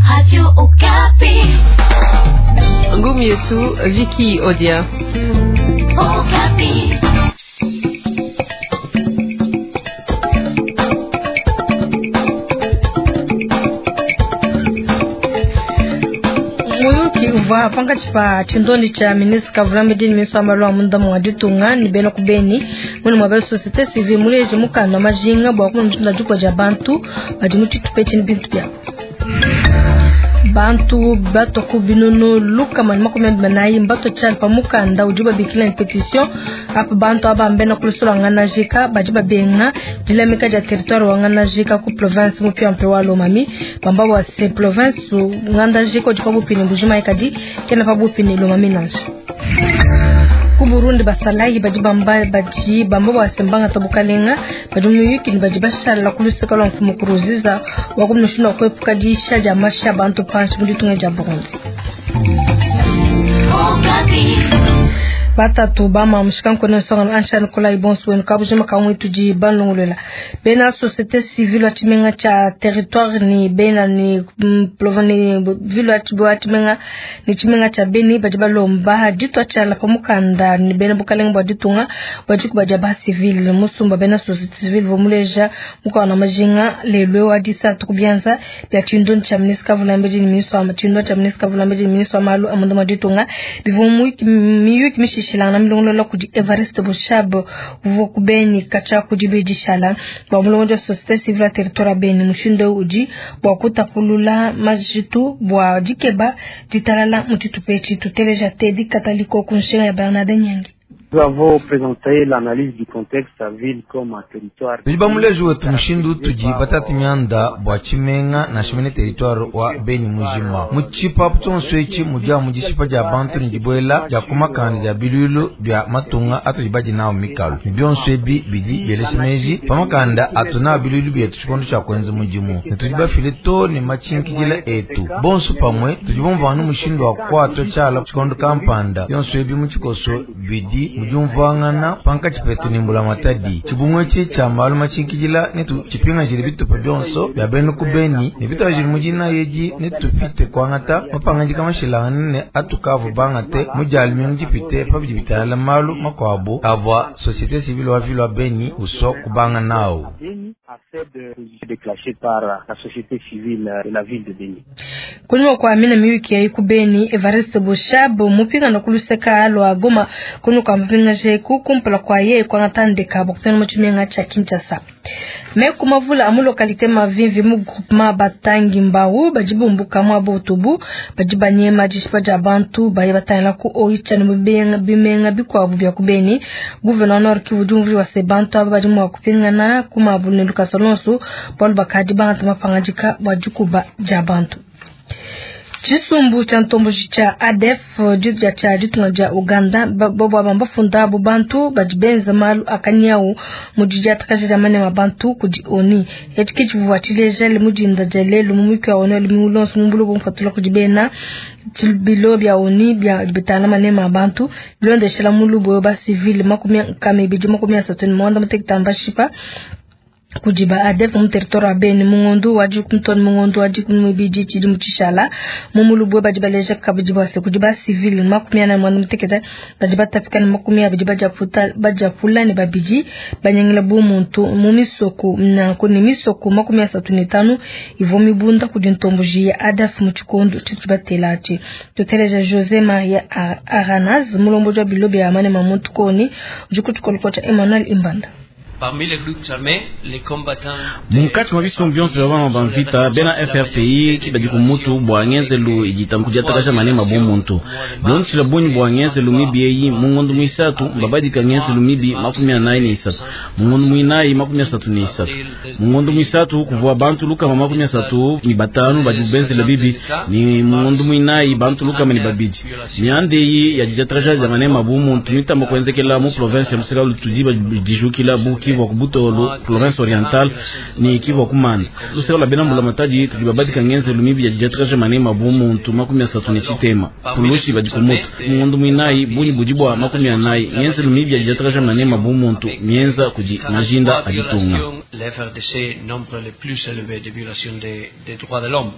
Radio Okapi. Ngumi yetu Vicky Odia. Okapi. Muyuki uvua pankatshi pa tshindondi tshia ministre Kavulambedi ne ministre wa malu a munda mua ditunga ne bena ku Beni mune mua bena société civile muleje mukanda wa majinga bua kumona dikua dia bantu badi mu tshitupa etshi ne bintu biabu. Bantu batua ku binunu 144 mbatua tshiala pa mukanda udi babikila ne petition apa bantu aba mbena ku lusolo lwa Ngandajika badi babenga dilamika dia territoire wa Ngandajika ku province mupiamupia wa Lomami bamba bua se province Ngandajika udi pabuipi ne Mbuji-Mayi kadi kena pabuipi ne Lomami nansha. Ku Burundi basalayi badi bamba badi bamba bua se mbangata bukalenga badi mu miyuki ne badi bashala ku luseke lua mfumu Nkurunziza wa ku mushindu wa kuepuka diyisha dia mashi a bantu panshi mu ditunga dia Burundi. Batatu ba mamu shikankone nsongano ansha Nikolai bonso wenu kabujima kamwe tudi banlongolola bena société civile wa tshimenga tshia territoire ni bena ni ne ville wa tshimenga ni tshimenga tshia Beni badi balomba ditua tshiala pa mukanda ni bena bukalenga bua ditunga bua dikuba dia ba civile musumba bena société civile vomuleja mukana majinga lelwe wa disatu kubianza bia tshindondi tshia ministre Kavulambedi ni ministre wa tshindondi tshia ministre Kavulambedi ni ministre wa malu a munda mua ditunga bivua miyuki mishishilangana milongolola kudi Evariste Boshab uvua ku Beni katshia ku dibedishala bua mulongodi wa société civile ya territoire ya Beni mushindu udi bua kutapulula majitu bua dikeba ditalala mu tshitupa etshi tuteleja Teddy Kataliko ku nshinga ya Bernard Nyangi. Nous avons présenté l'analyse du contexte à ville comme à territoire. Tudi bamuleji wetu mushindu tudi batatu mianda bua tshimenga nansha mene territoire wa Beni mujima mu tshipapu tshionso etshi mudi amu dishipa dia bantu ne dibuela dia kumakanda dia biluilu bia matunga atudi badi nawu mikalu ne bionso ebi bidi bielesha meji pa makanda atu nawu biluilu bietu tshikondo tshia kuenza mudimu ne tudi bafile to ne matshinkidila etu bonso pamue tudi bumvana mushindu wa kuatua tshiala tshikondo kampanda bionso ebi mu tshikoso bidi mudiumvuangana pankatshi petu ne mbulamatadi tshibungu etshi tshia malu matshinkidila ne tshipingajile bitupa bionso bia bena ku Beni ne bitwajile mu dina edi ne tupite kuangata mapangadika mashilangane ne atukavu bangate mu dia lumingu dipite pa bidi bitangila malu makuabu avua société civile wa ville wa Beni usua kubanga nawu. Déclenché par la société civile de la ville de Beni. Kunyuma kwa mina miyuki ya iku Beni Evariste Boshab mupingana ku luseka lwa Goma kunu kwa mupingaje ku kumpala kwa ye kwa ngatandika bokupena mu tshimenga tshia Kinshasa. Me kumavula amu localité Mavimvi mu groupement batangi mbau badi bumbuka mu abotubu badi banyema dishipa dia bantu baye batangila ku Oicha ne mu bimenga bikuabu bia ku Beni. Gouverneur Nord Kivu diumvu wa se bantu aba badi mua kupingana ku mabu ne lukasa lonso bualu bakadi bangata mapangadika bua dikuba dia bantu. Tshisumbu tshia ntomboji tshia ADF dia tshia ditunga dia Uganda bobo aba mbafunda abo bantu badi benza malu akanyawu mu didiatakaja dia manema bantu kudi ONU. Etshi ke tshivua tshileja mu dinda dia lelu mu muyuki wa ONU lumingu luonso mu buloba bupatula kudi bena bilo bia ONU bia bitangila manema a bantu bilondeshela mu lubuwe ba civile 239 mbashipa kudi ba ADF mu territoire wa Beni mu ngondo wa dikumi mu ngondo wa 12 tshidimu tshishala mu mulubwe badi baleja kabidi bwase kudi ba civile 46 badi batapika ne 20 badiaputa badiapula ne babidi banyangila bu muntu mu misoko nanku ne misoko 35 ivua mibunda kudi ntomboji ya ADF mu tshikondo tshitu batela atshi. Tuteleja Jose Maria Aranaz mulombodi wa bilo bia manema muntu koni udi ku tshikolo tshia Emmanuel Imbanda. Parmi les groupes armés, les combattants munkatshi mwa bisumbu bionso bia bana ba mvita bena FRPI ki badi ku mutu bua ngenzelu idi kudiatakaja manema bu muntu bilondeshila bungi bua ngenzelu mibi eyi mu ngondo muisatu mbabadika ngenzelu mibi 43 mu ngondo muinayi 33 mu ngondo muisatu kuvua bantu 135 badi benzela bibi ni mu ngondo muinayi bantu 200 mianda eyi ya didiatakaja dia manema bu muntu mitamba kuenzekela mu province ya luseka lutudi badijukila bu Kivu ku Butolo province orientale ni Kivu ku Manda luseka lwa bena mbulamatadi tudi babadika ngenzelu mibi ya didiatakaja manema bu muntu 37 pulushi badi ku mutu mu ngondo muinayi bungi budi bua 40 ngenzelu mibi ya didiatakaja manema bu muntu mienza kudi majinda a ditunga. Le FRDC nombre le plus élevé de violations des droits de l'homme.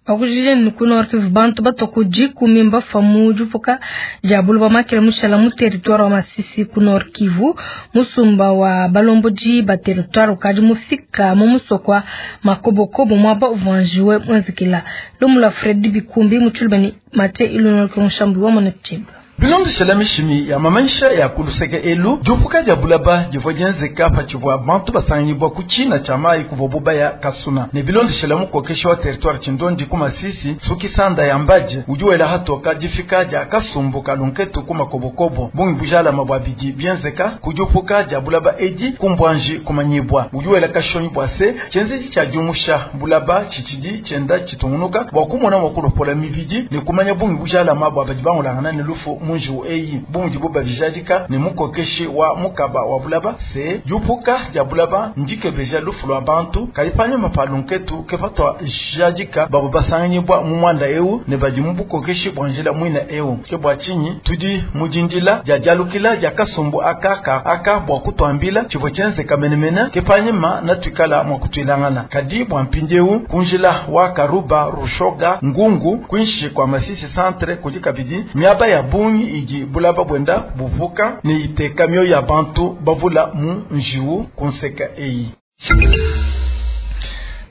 Bakujije ni ku Nord Kivu bantu batua ku dikumi mbafua mu diupuka dia buloba makela mushala mu territoire wa Masisi ku Nord Kivu. Musumba wa balombodi ba territoire ukadi mufika mu musoko wa Makobokobo muaba uvua njiwe muenzekela. Lumu lua Fredy Bikumbi mu tshiluba ne Mathieu Ilunga Mushambi wa Mona Tshimba. Bilondeshela mishimi ya mamanyisha ya ku luseke elu, diupuka dia bulaba divua dienzeka patshivua bantu basanganyibua ku tshina tshia mayi kuvua bubaya kasuna. Ne bilondeshela mukokeshi wa territoire Tshindondi ku Masisi, Sukisanda ya Mbadje, udi wela hatoka difika dia kasumbu ka lunketu ku Makobokobo. Bungi bujalama bua bidi bienzeka ku diupuka dia bulaba edi ku Mbwanji kumanyibua. Udi wela kashonyi bua se tshienzedi tshia diumusha bulaba tshitshidi tshienda tshitungunuka bua kumona mua kulopola mibidi ne kumanya bungi bujalama bua badi bangulangana ne lufu mu njiwu eyi. Bu mudibo babijadika ne mukokeshi wa mukaba wa bulaba se diupuka dia bulaba ndikebeja lufu lua bantu kadi panyima pa lunketu ke patua jadika babo basanganyibua mu muanda eu ne badi mu bukokeshi bua njila muina eu. Ke bua tshinyi tudi mu dindila dia dialukila dia kasumbu aka ka aka bua kutuambila tshivua tshienzeka menemene ke panyima natuikala mua kutuilangana. Kadi bua mpindieu ku njila wa Karuba Rushoga Ngungu kuinshi kua Masisi centre kudi kabidi miaba ya bungi idi bulaba buenda buvuka ne iteka mioyo ya bantu bavula mu njiwu ku nseka eyi.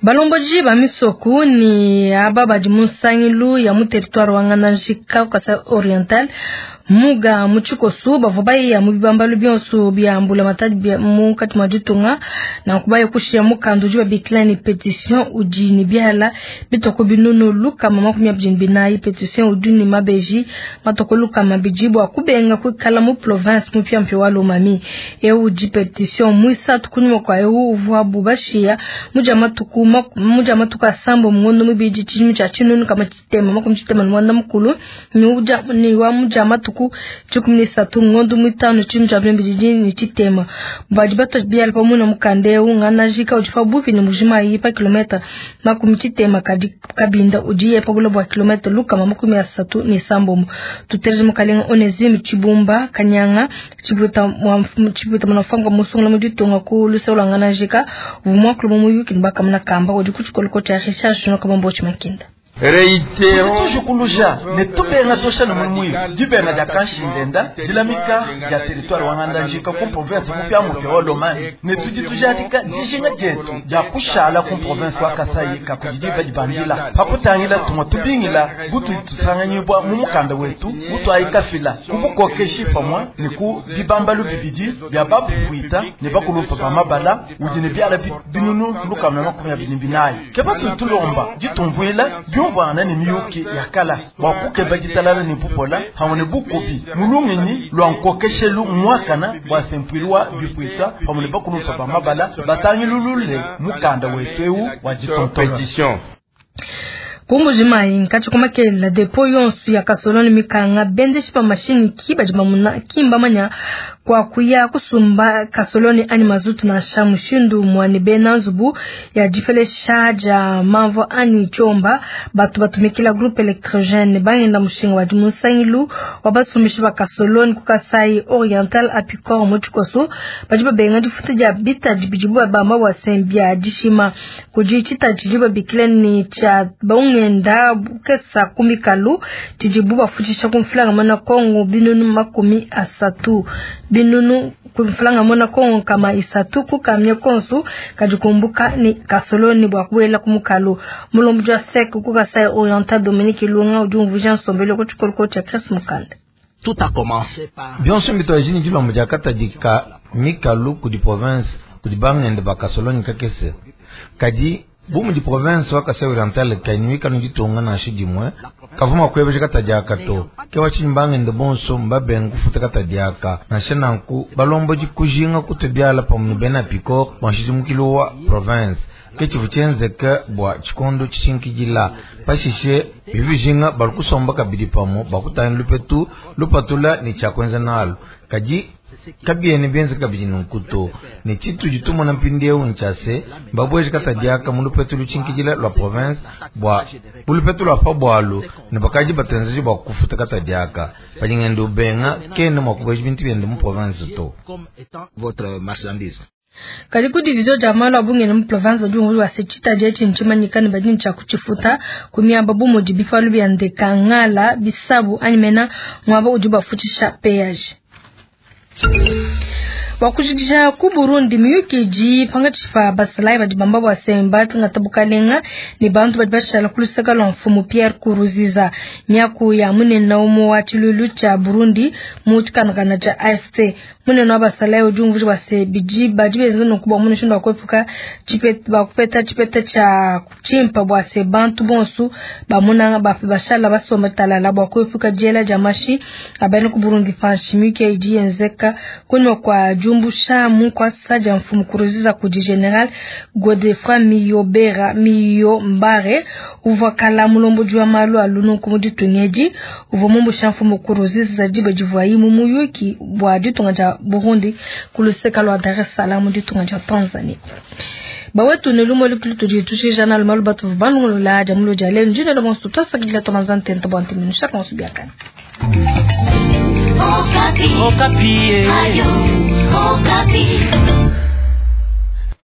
Balomboji ba misoku ni aba badi mu nsangilu ya mu territoire wa Ngandajika Kasai Oriental muga mu tshikosu bavua bayiya mu bibambalu bionso bia mbulamatadi bia munkatshi mua ditunga nanku baye kushiya mukanda udi babikila ne petition udi ne biala bitoko binunu 224. Petition udi ne mabeji matoko 200 bua kubenga kuikala mu province mupiamupia wa Lomami. Eu udi petition muisatu kunyima kua eu uvuabu bashiya mudia matuku asambo mu ngondo mibidi tshidimu tshia 1994 ne wa mudia matuku 13 ngondo mitano tshidimu tshia 2023. Badi batua biala pamue na mukanda eu Ngandajika udi pabuipi ne Mbuji-Mayi pa kilometa 60 kadi Kabinda udi pa bule bua kilometa 136. Tuteleje mukalenga Onesime Tshibumba Kanyanga Tshibuta mwanafanga musungula mu ditunga ku luseke lua Ngandajika uvua muakulu mu muyuki ne bakamuna kamba udi ku tshikoloko tshia Richard Junior Kabambo Tshimakinda. Tujukuluja ne tubenga tosha ne muimu dibenga dia kanshindenda dilamika dia territoire wa Ngandajika ku province mupiamupia wa Lomami ne tudi tujadika dijinga dietu dia kushala ku province wa Kasai kakudi diba dibandila pakutangila tumwa tubingila butudi tusanganyibua mu mukanda wetu mutuayikafila ku bukokeshi pamue ne ku bibambalu bibidi bia bapuita ne bakulumpa ba mabala udi ne biala binunu 124. Ke patudi tulomba ditumvuila biumvuangana ne miyuki ya kala bua kukeba ditalala ne bupola pamue ne bukubi mulungenyi lua nkokeshelu muakana bua sempuilu wa bipuita pamue ne bakulumpa ba mabala batangilulule mukanda wetu eu wa ditontola. Ku Mbuji-Mayi nkatshi kumakela depo yonso ya kasoloni mikanga bendeshi pa mashini ki badi bamuna kimbamanya kwa kuya kusumba kasoloni ani mazutu nansha mushindu muane bena nzubu ya dipelesha dia mamvo ani tshiomba batu batumikila groupe électrogène bangenda mushinga wa dimusangilu wa basumbishi ba kasoloni ku Kasai Oriental Apicor mu tshikoso badi babenga difuta dia bitadi bidibu babamba bua sembia dishima kudi tshitadi babikila ni tshia bangenda bukesa kumikalu tshidibu bafutshisha ku mfulanga mana Kongo binunu 30 binunu kumfulanga mona Kongo kama isatu kukamye konsu kajikumbuka ni kasoloni bwa kuwela kumukalu mulombo wa sek ku Kasai Oriental Dominique Ilunga udi umvuja nsombelo ku tshikoloko tshia Chris Mukanda. Tout a commencé par bionso mbitoajini dilombo dia katadika mikalu kudi province kudi bangende ba kasoloni kakese kadi bu mudi province wa Kasai Oriental kainuika nuditunga nansha dimue kavuma kuebesha katadiaka to ke watshinyi bangende bonso mbabenga kufuta katadiaka nansha nanku balombo dikujinga kutubiala pamue ne bena Picor bua nshidimukilu wa province ke tshivu tshienzeka bua tshikondo tshishinkidila pashishe bivijinga bali kusomba kabidi pamue bakutangila lupetu lupatula ne tshiakuenza nalu kadi kabiene bienze kabidi nunku to ne tshitudi tumona mpindieu ntshia mbabweje katadiaka mu lupetu lutshinkidila lua province bua bulupetu lua pa bualu ne bakadi batuenzeje bua kufuta katadiaka padi ngende ubenga kene mua kubweja bintu biende mu province to. Votre marchandise. Kadi ku division dia malu a bungenda mu province udi umvuija bua se tshitadi etshi ntshimanyika ne badi ne tshia kutshifuta ku miaba bu mudi bipalu bia ndeka, ngala, bisabu anyi mena muaba udi bafutshisha peage. Bua kujikija ku Burundi miyuki idi pankatshi pa basalayi badi bamba bua se mbangata bukalenga ne bantu badi bashala ku luseke lua mfumu Pierre Nkurunziza. Miaku ya munene umue wa tshiluilu tshia Burundi mu tshikandakanda tshia AFP. Munene wa basalayi udi umvuija bua se bidi badi benza nunku bua mushindu wa kuepuka tshipeta bua kupeta tshipeta tshia tshimpa bua se bantu bonso ba munanga bashala basomba talala bua kuepuka diela dia mashi a bena ku Burundi panshi. Miyuki idi yenzeka kunyima kua diumbusha mu nkuasa dia mfumu Nkurunziza kudi General Godefroid Miyobera Miyombare uvua kala mulombodi wa malu a lununku mu ditunga edi uvua mumbusha mfumu Nkurunziza diba divuayi mu muyuki bua ditunga dia Burundi ku luseka lua Dar es Salaam mu ditunga dia Tanzanie. Bawetu ne lumu lukulu tudi tushija nalu malu batu balongolola dia mulo dia lelu ndine bonso twasakidila tomanza ntenta bua ntiminu shaka onso biakane. Okapi. Okapi. Ayo.